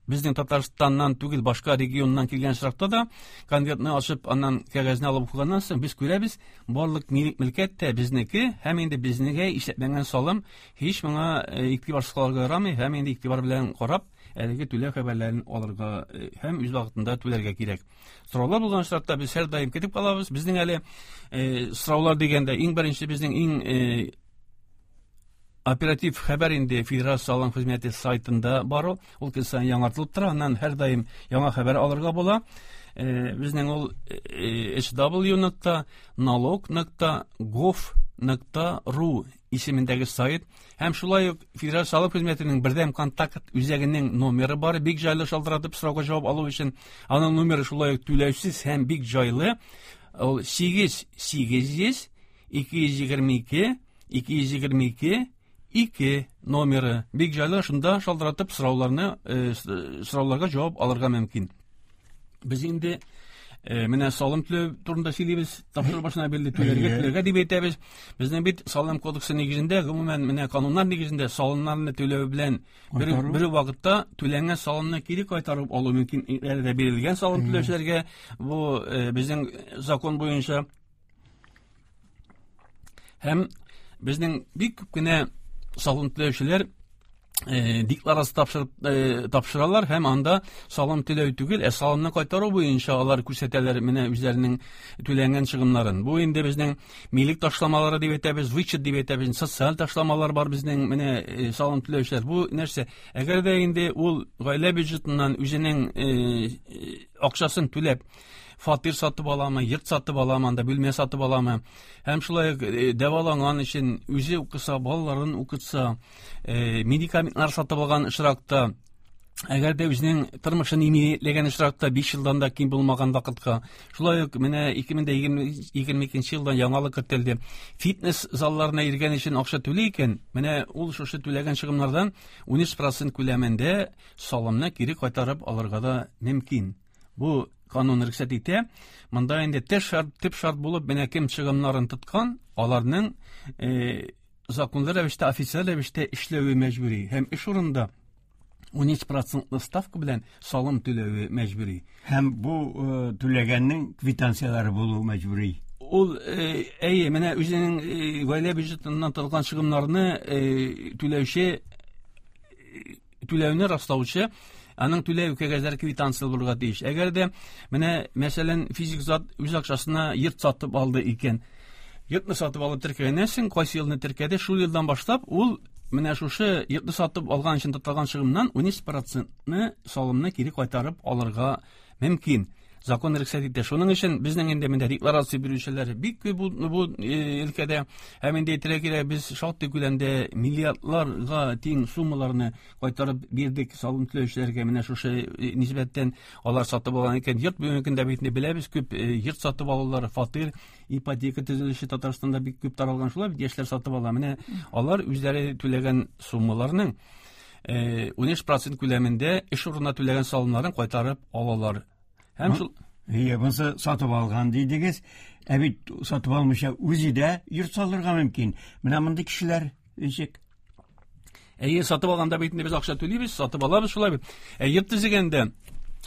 безнең Татарстаннан түгел, башка регионнан килгән очракта да конвертны ачып, аннан кәгазьне алып укыганнан соң без күрәбез, барлык милек мөлкәт тә безнеке, һәм инде безнегә исәпләнгән салым һич моңа игътибарсыз калырга ярамый, һәм инде игътибар белән карап, әлеге түләү хәбәрләрен алырга һәм үз вакытында түләргә кирәк. Сораулар булган очракта без һәрдаим көтеп калабыз. Безнең әле сораулар дигәндә иң беренче безнең иң Оператив хәбәр инде Федераль салым хезмәте сайтында бар ул. Ул көн саен яңартылып тора, аннан һәрдаим яңа хәбәр алырга була. Безнең ул эйч дабл ю нокта налог нокта гов нокта ру исемендәге сайт. Һәм шулай ук Федераль салым хезмәтенең бердәм контакт үзәгенең номеры бар, бик җайлы шалтыратып сорауга җавап алу өчен. Аның номеры шулай ук түләүсез һәм бик җайлы. Ул сигез сигез йөз ике йөз егерме ике ике йөз егерме ике ике номеры. Бик җайлы, шунда шалтыратып сорауларны, сорауларга җавап алырга мөмкин. Без инде менә салым түләү турында сөйлибез, тапшыру башына бирле түләргә, түләргә дип әйтәбез. Безнең бит салым кодексы нигезендә, гомумән менә кануннар нигезендә салымнарны түләү белән бер, бер вакытта түләнгән салымны кире кайтарып алу мөмкин. Әле дә бирелгән салым түләүчеләргә бу безнең закон буенча. Һәм безнең бик күп кенә салым түләүчеләр декларация тапшырып, тапшыралар һәм анда салым түләү түгел, ә салымны кайтару буенча алар күрсәтәләр менә үзләренең түләнгән чыгымнарын. Бу инде безнең милек ташламалары дип әйтәбез, вычет дип әйтәбез, социаль ташламалар бар безнең менә салым түләүчеләр. Бу нәрсә? Әгәр дә инде ул гаилә бюджетыннан үзенең акчасын түләп фатир сатып аламы, йорт сатып аламы, анда бүлмә сатып аламы, һәм шулай ук дәваланган өчен үзе укыса, балаларын укытса, медикаментлар сатып алган очракта, әгәр дә үзенең тормышын иминиятләгән очракта биш елдан да ким булмаган вакытка, шулай ук менә ике мең егерме икенче елдан яңалык кертелде. Фитнес залларына йөргән өчен акча түли икән, менә ул шушы түләгән чыгымнардан ун өч процент күләмендә салымны кире кайтарып алырга да мөмкин. Бу канун рөхсәт итә. Монда инде төп шарт, төп шарт булып менә кем чыгымнарын тоткан, аларның э, законлы рәвештә, официаль рәвештә эшләве мәҗбүри һәм эш урынында ун өч процентлы ставка белән салым түләве мәҗбүри. Һәм бу түләгәннең квитанцияләре булуы мәҗбүри. Ул әйе, менә үзенең гаилә бюджетыннан тотылган чыгымнарны түләүче, түләүне раслаучы аның түләү кәгазьләре квитанция булырга тиеш. Әгәр дә менә мәсәлән физик зат үз акчасына йорт сатып алды икән, йортны сатып алып теркәгәннән соң кайсы елны теркәде, шул елдан башлап ул менә шушы йортны сатып алган өчен тотылган чыгымнан ун өч процентны салымны кире кайтарып алырга мөмкин. Закон рөхсәт итә. Шуның өчен безнең инде монда декларация бирүчеләр бик күп бу, бу өлкәдә. Һәм инде әйтергә кирәк, без шактый күләмдә миллиардларга тиң суммаларны кайтарып бирдек салым түләүчеләргә. Менә шушы нисбәттән алар сатып алган икән йорт, бүгенге көндә бит инде беләбез, күп йорт сатып алулар, фатир, ипотека төзелеше Татарстанда бик күп таралган, шулай бит яшьләр сатып ала. Менә алар үзләре түләгән суммаларның ун өч процент күләмендә эш урынына түләгән салымнарын кайтарып алалар. Һәм шул Ие, монысы сатып алган дидегез. Ә бит сатып алмыйча үзе дә йорт салырга мөмкин. Менә мондый кешеләр ничек? Әйе, сатып алганда бит инде без акча түлибез, сатып алабыз шулай бит. Ә йорт төзегәндә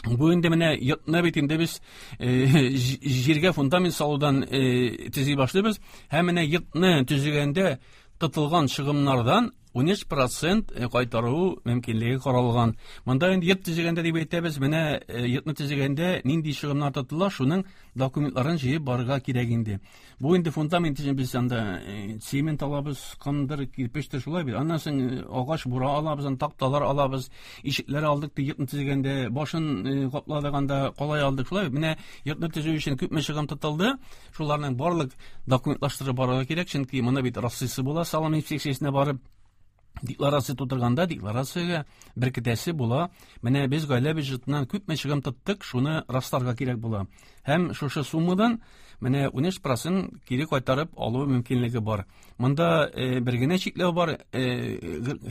бу инде менә йортны бит инде без җиргә фундамент салудан төзи башлыйбыз. Һәм менә йортны төзегәндә тотылган чыгымнардан ун өч процент кайтару мөмкинлеге каралган. Монда инде йорт төзегәндә дип әйтәбез, менә йортны төзегәндә нинди чыгымнар тотыла, шуның документларын җыеп барырга кирәк инде. Бу инде фундамент өчен без анда цемент алабыз, кандыр, кирпечтер шулай бит. Аннан соң агач бура алабыз, анда такталар алабыз, ишекләр алдык ди йортны төзегәндә, башын капладык анда, калай алдык шулай бит. Менә йортны төзү өчен күпме чыгым тотылды, шуларның барлык документлаштырып барырга кирәк, чөнки моны бит раслыйсы була, салым инспекциясенә барып декларация тутырганда декларациягә беркетәсе була. Менә без гаилә бюджетыннан күпме чыгым тоттык, шуны расларга кирәк була. Һәм шушы суммадан менә ун өч процент кире кайтарып алу мөмкинлеге бар. Монда э, бер генә чикләү бар. Э,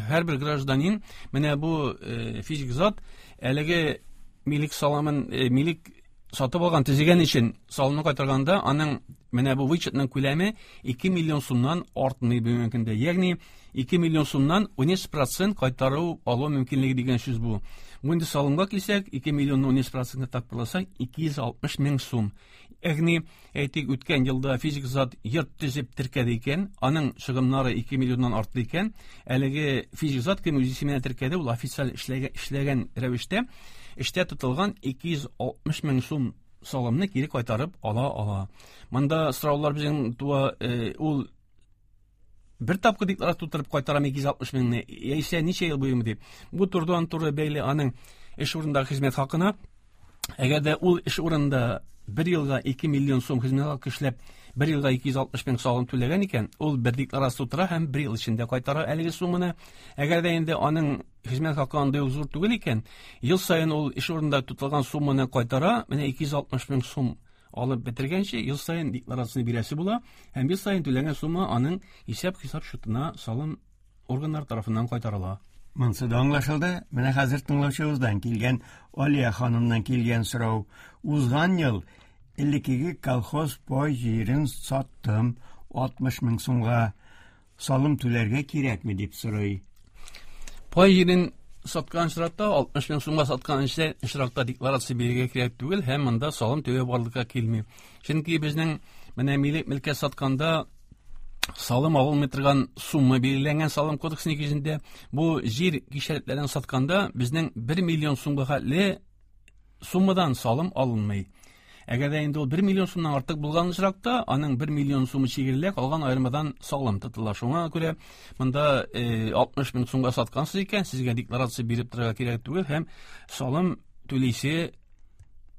һәрбер гражданин менә бу э, физик зат әлеге милек салымын, э, милек сатып алган төзегән өчен салымны кайтарганда аның менә бу вычетның күләме ике миллион сумнан артмый бүгенге көндә. Ягъни ике миллион сумнан ун өч процент кайтару алу мөмкинлеге дигән сүз бу. Бу инде салымга килсәк, ике миллионны ун өч процентка тапкырласак, ике йөз алтмыш мең сум. Ягъни, әйтик, үткән елда физик зат йорт төзеп теркәде икән, аның чыгымнары ике миллионнан артты икән, әлеге физик зат кем үз исеменә теркәде, ул официаль эшләгән, эшләгән рәвештә эштә тотылган ике йөз алтмыш мең сум салымны кире кайтарып ала ала. Монда сораулар безнең туа, ул бер тапкыр декларация тутырып кайтарам ике йөз алтмыш меңне, яисә ничә ел буемы дип. Бу турыдан-туры бәйле аның эш урынындагы хезмәт хакына. Әгәр дә ул эш урынында бер елга ике миллион сум хезмәт хакы эшләп, бер елга ике йөз алтмыш мең салым түләгән икән, ул бер декларация тутыра һәм бер ел эчендә кайтара әлеге сумманы. Әгәр дә инде аның хезмәт хакы андый ук зур түгел икән, ел саен ул эш урынында тотылган сумманы кайтара, менә ике йөз алтмыш мең сум алып бетергәнче ел саен декларацияне бирәсе була һәм ел саен түләгән сумма аның исәп-хисап счетына салым органнары тарафыннан кайтарыла. Монысы да аңлашылды. Менә хәзер тыңлаучыбыздан килгән Алия ханымнан килгән сорау. Узган ел элеккеге колхоз пай җирен саттым алтмыш мең сумга. Салым түләргә кирәкме дип сорый. Пай җирен саткан очракта алтмыш мең сумга саткан очракта декларация бирергә кирәк түгел һәм монда салым түләү барлыкка килми. Чөнки безнең менә милек мөлкәт сатканда салым алынмый торган сумма билгеләнгән салым кодексы нигезендә. Бу җир кишәрлекләрен сатканда безнең бер миллион сумга хәтле суммадан салым алынмый. Әгәр дә инде ул бер миллион сумнан артык булган очракта, аның бер миллион сумы чигерелә, калган аермадан салым тотыла. Шуңа күрә монда алтмыш мең сумга саткансыз икән, сезгә декларация биреп торырга кирәк түгел һәм салым түлисе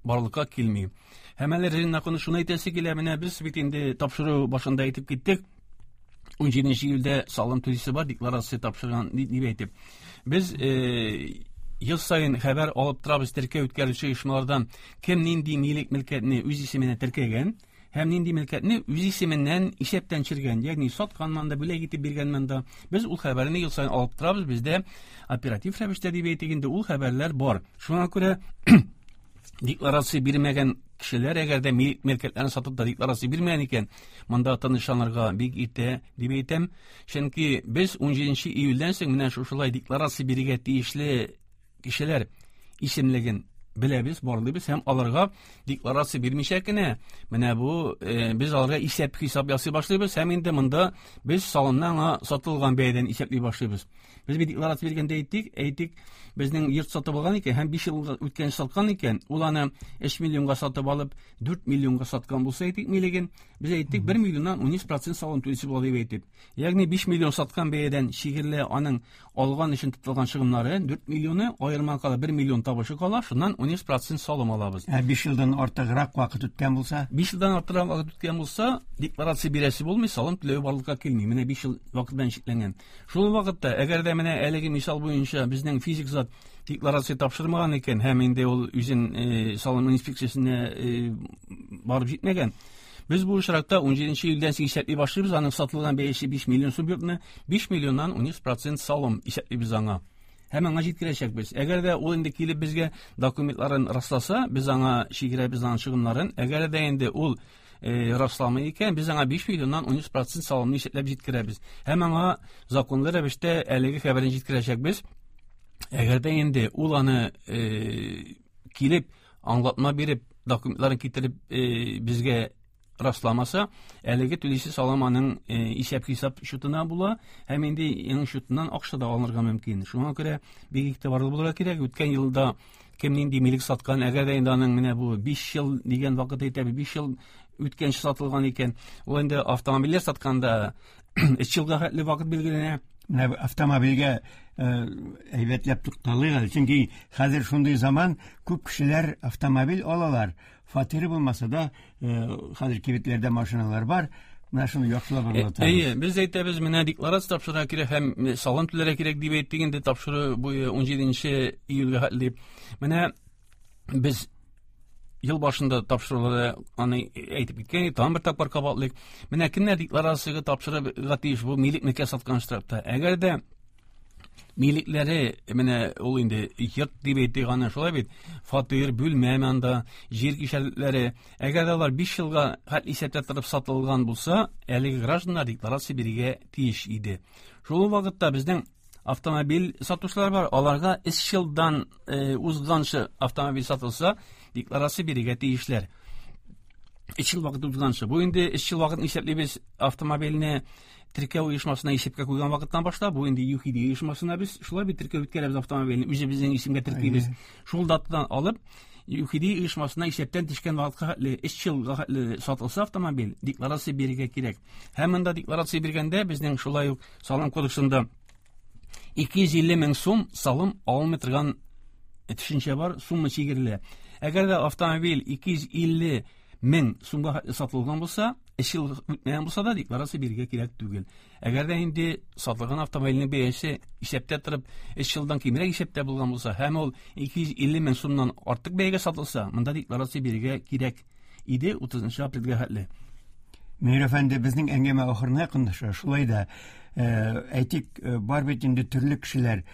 барлыкка килми. Һәм әле Режина ханым шуны әйтәсе килә, менә без бит инде тапшыру башында әйтеп киттек. ун җиденче июльдә салым түлисе бар, декларация тапшырган дип әйтеп. Без ел саен хәбәр алып торабыз теркәү үткәрүче оешмалардан, кем нинди милек мөлкәтне үз исеменә теркәгән һәм нинди мөлкәтне үз исеменнән исәптән төшергән, ягъни сатканман да, бүләк итеп биргәнмән дә. Без ул хәбәрне ел саен алып торабыз, бездә оператив рәвештә дип әйтик инде ул хәбәрләр бар. Шуңа күрә декларация бирмәгән кешеләр, әгәр дә милек мөлкәтләрен сатып та декларация бирмәгән икән, монда тынычланырга бик иртә дип әйтәм. Чөнки без ун җиденче июльдән соң менә шушылай декларация бирергә тиешле кешеләр исемлеген беләбез, барлыйбыз һәм аларга декларация бирмичә кенә менә бу без аларга исәп-хисап ясый башлыйбыз һәм инде монда без салымны аңа сатылган бәядән исәпли башлыйбыз. Без бит декларация биргәндә әйттик, әйтик, безнең йорт сатып алган икән һәм биш ел үткән саткан икән, ул аны өч миллионга сатып алып, дүрт миллионга саткан булса әйтик милеген, без әйттик бер миллионнан ун процент салым түлисе була дип әйтеп. Ягъни биш миллион саткан бәядән чигерелә аның алган өчен тотылган чыгымнары дүрт миллионы, аерма кала бер миллион табышы кала, шуннан ун процент салым алабыз. Ә биш елдан артыграк вакыт үткән булса? Биш елдан артыграк вакыт үткән булса, декларация бирәсе булмый, салым түләү барлыкка килми. Менә биш ел вакыт белән чикләнгән. Шул вакытта, әгәр дә менә әлеге мисал буенча безнең физик зат декларация тапшырмаган икән һәм инде ул үзен салым инспекциясенә барып җитмәгән, без бу очракта ун җиденче июльдән соң исәпли башлыйбыз, аның сатылган бәясе биш миллион сум йортны биш миллионнан ун процент салым исәплибез аңа. Һәм аңа җиткерәчәкбез. Әгәр дә ул инде килеп безгә документларын расласа, без аңа чигерәбез аның чыгымнарын. Әгәр дә инде ул расламый икән, без аңа биш миллионнан ун процент салымны исәпләп җиткерәбез. Һәм аңа законлы рәвештә әлеге хәбәрне җиткерәчәкбез. Әгәр дә инде ул аны килеп аңлатма биреп, документларын китереп безгә расламаса, әлеге түлисе салым аның исәп-хисап счетына була һәм инде аның счетыннан акча да алынырга мөмкин. Шуңа күрә бик игътибарлы булырга кирәк. Үткән елда кем нинди милек саткан, әгәр дә инде аның менә бу биш ел дигән вакыт әйтәбез, биш ел үткәнче сатылган икән, ул инде автомобильләр сатканда өч елга хәтле вакыт билгеләнә. Менә автомобильгә әйбәтләп тукталыйк әле, чөнки хәзер шундый заман, күп кешеләр автомобиль алалар. Фатиры булмаса да, хәзер кибетләрдә машиналар бар. Менә шуны яхшылап аңлатабыз. Әйе, без әйтәбез, менә декларация тапшырырга кирәк һәм салым түләргә кирәк дип әйттек инде тапшыру буе ун җиденче июльгә хәтле. Менә без ел башында тапшыруларда аны әйтеп киткән идек, тагын бер тапкыр кабатлыйк. Менә кемнәр декларацияга тапшырырга тиеш бу милек мөлкәт саткан очракта? Әгәр дә милекләре, менә ул инде йорт дип әйтик аны, шулай бит, фатир, бүлмә анда, җир кишәрлекләре, әгәр дә алар биш елга хәтле исәптә торып сатылган булса, әлеге гражданнар декларация бирергә тиеш иде. Шул вакытта безнең автомобиль сатучылар бар, аларга өч елдан узганчы автомобиль сатылса, декларация бирергә тиешләр. Өч ел вакыт узганчы. Бу инде өч ел вакытын исәплибез автомобильне теркәү оешмасына исәпкә куйган вакыттан башлап, бу инде ЮХИДИ оешмасына без шулай бит теркәү үткәрәбез автомобильне, үзебезнең исемгә теркибез. Шул датадан алып ЮХИДИ оешмасына исәптән төшкән вакытка хәтле өч елга хәтле сатылса автомобиль, декларация бирергә кирәк. Һәм монда декларация биргәндә безнең шулай ук салым кодексында ике йөз илле мең сум салым алынмый торган төшенчә бар, сумма чигерелә. Әгәр дә автомобиль ике йөз илле мең сумга сатылган булса, өч ел үтмәгән булса да декларация бирергә кирәк түгел. Әгәр дә инде сатылган автомобильнең бәясе исәптә торып өч елдан кимрәк исәптә булган булса һәм ул ике йөз илле мең сумнан артык бәягә сатылса, монда декларация бирергә кирәк иде утызынчы апрельгә хәтле. Мөнир әфәнде, безнең әңгәмә ахырына якынлаша. Шулай да, әйтик, бар бит инде төрле кешеләр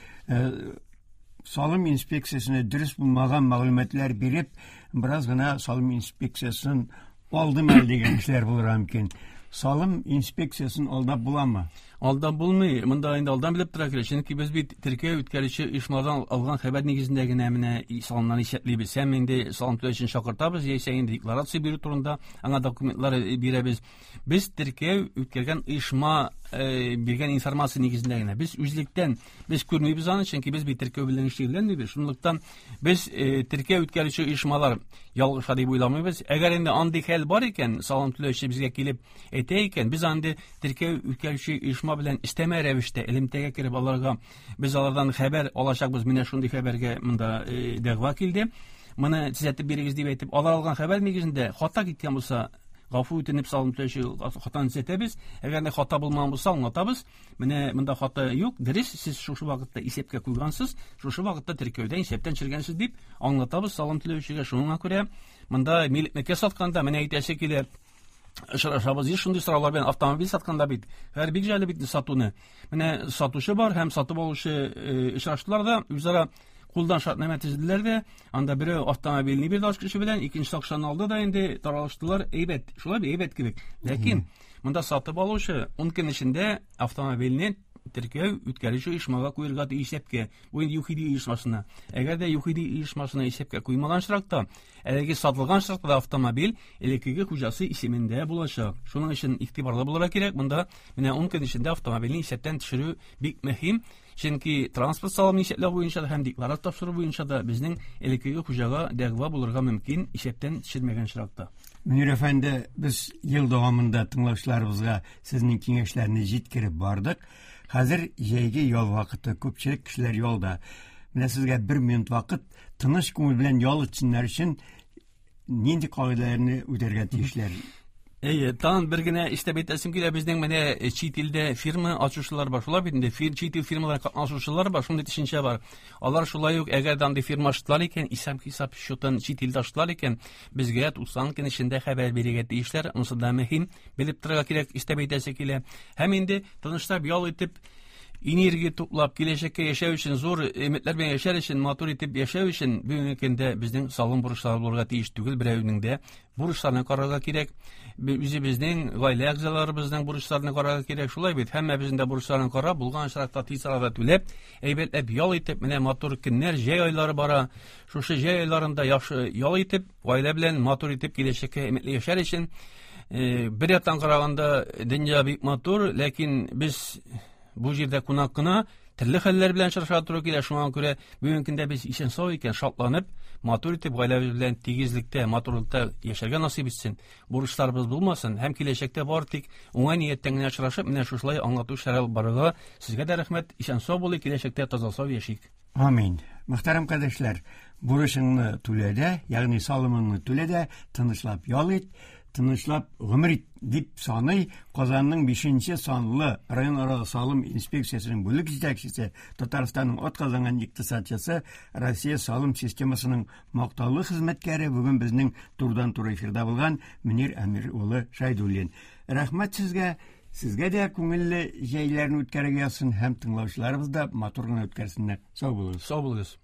салым инспекциясенә дөрес булмаган мәгълүматлар биреп, бераз гына салым инспекциясен алдым әле дигән кешеләр булырга мөмкин. Салым инспекциясен алдап буламы? Алдап булмый. Монда инде алдан белеп тора кирәк. Чөнки без бит теркәү үткәрүче оешмадан алган хәбәр нигезендә генә менә салымнарны исәплибез. Һәм инде салым түләү өчен чакыртабыз, яисә инде декларация бирү турында аңа документлар бирәбез. Без теркәү үткәргән оешма биргән информация нигезендә генә. Без үзлектән без күрмибез аны, чөнки без бит теркәү белән шөгыльләнмибез. Шунлыктан без теркәү үткәрүче оешмалар ялгыша дип уйламыйбыз. Әгәр инде андый хәл бар икән, салым түләүче безгә килеп әйтә икән, без андый теркәү үткәрүче оешма белән өстәмә рәвештә элемтәгә кереп аларга без алардан хәбәр алачакбыз. Менә шундый хәбәргә монда дәгъва килде. Моны төзәтеп бирегез дип әйтеп, алар алган хәбәр нигезендә хата киткән булса, гафу үтенеп салым түләүче хатаны төзәтәбез. Әгәр дә хата булмаган булса, аңлатабыз. Менә монда хата юк, дөрес, сез шушы вакытта исәпкә куйгансыз, шушы вакытта теркәүдән исәптән төшергәнсез дип аңлатабыз салым түләүчегә. Шуңа күрә монда милекне сатканда менә әйтәсе килә, очрашабыз еш шундый сораулар белән. Автомобиль сатканда бит һәр бик җайлы бит сатуны. Менә сатучы бар һәм сатып алучы очраштылар да, үзара кулдан шартнамә төзеделәр дә, анда берәү автомобильне бирде ачкычы белән, икенче акчаны алды да инде таралыштылар. Әйбәт, шулай бит, әйбәт кебек. Ләкин монда сатып алучы ун көн эчендә автомобильне теркәү үткәрүче оешмага куярга тиеш исәпкә. Бу инде ЮХИДИ оешмасына. Әгәр дә ЮХИДИ оешмасына исәпкә куймаган очракта, әлеге сатылган очракта да автомобиль элеккеге хуҗасы исемендә булачак. Шуның өчен игътибарлы булырга кирәк. Монда менә ун көн эчендә автомобильне исәптән төшерү бик мөһим. Чөнки транспорт салымын исәпләү буенча да һәм декларация тапшыру буенча да безнең элеккеге хуҗага дәгъва булырга мөмкин исәптән төшермәгән очракта. Мөнир әфәнде, без ел дәвамында тыңлаучыларыбызга сезнең киңәшләрне җиткереп бардык. Хәзер җәйге ял вакыты, күпчелек кешеләр ялда. Менә сезгә бер минут вакыт, тыныч күңел белән ял итсеннәр өчен нинди кагыйдәләрне үтәргә тиешләр? Әйе, тагын бер генә истәп әйтәсем килә, безнең менә чит илдә фирма ачучылар бар. Шулай бит инде, чит ил фирмалары катнашучылар бар, шундый төшенчә бар. Алар шулай ук, әгәр дә андый фирма ачтылар икән, исәп-хисап счетын чит илдә ачтылар икән, безгә туксан көн эчендә хәбәр бирергә тиешләр. Монысы да мөһим, белеп торырга кирәк, истәп әйтәсе килә. Һәм инде тынычлап ял итеп, энергия туплап, киләчәккә яшәү өчен, зур өметләр белән яшәр өчен, матур итеп яшәү өчен бүгенге көндә безнең салым бурычлары булырга тиеш түгел, берәүнең дә бурычларны карарга кирәк. Үзебезнең гаилә әгъзаларыбызның бурычларын карарга кирәк. Шулай бит, һәммәбезнең дә бурычларын карап, булган очракта тиз арада түләп, әйбәтләп ял итеп, менә матур көннәр, җәй айлары бара. Шушы җәй айларында яхшы ял итеп, гаилә белән матур итеп киләчәккә өметле яшәр өчен, бер яктан караганда дөнья бик матур, ләкин без бу җирдә кунак кына, төрле хәлләр белән очрашырга туры килә. Шуңа күрә бүгенге көндә без исән-сау икән, шатланып, матур итеп гаиләбез белән тигезлектә, матурлыкта яшәргә насыйп итсен. Бурычларыбыз булмасын һәм киләчәктә бар тик уңай нияттән генә очрашып, менә шушылай аңлату эшләре алып барырга. Сезгә дә рәхмәт. Исән-сау булыйк, киләчәктә таза-сау яшик. Амин. Мөхтәрәм кардәшләр, бурычыңны түлә дә, ягъни салымыңны түлә дә, тынычлап ял ит, тынычлап гомер ит дип саный Казанның бишенче санлы районара салым инспекциясенең бүлек җитәкчесе, Татарстанның атказанган икътисадчысы, Россия салым системасының мактаулы хезмәткәре, бүген безнең турыдан-туры эфирда булган Мөнир Әмир улы Шәйдуллин. Рәхмәт сезгә, сезгә дә күңелле җәйләрне үткәрергә язсын һәм тыңлаучыларыбыз да матур гына үткәрсеннәр. Сау булыгыз. Сау булыгыз.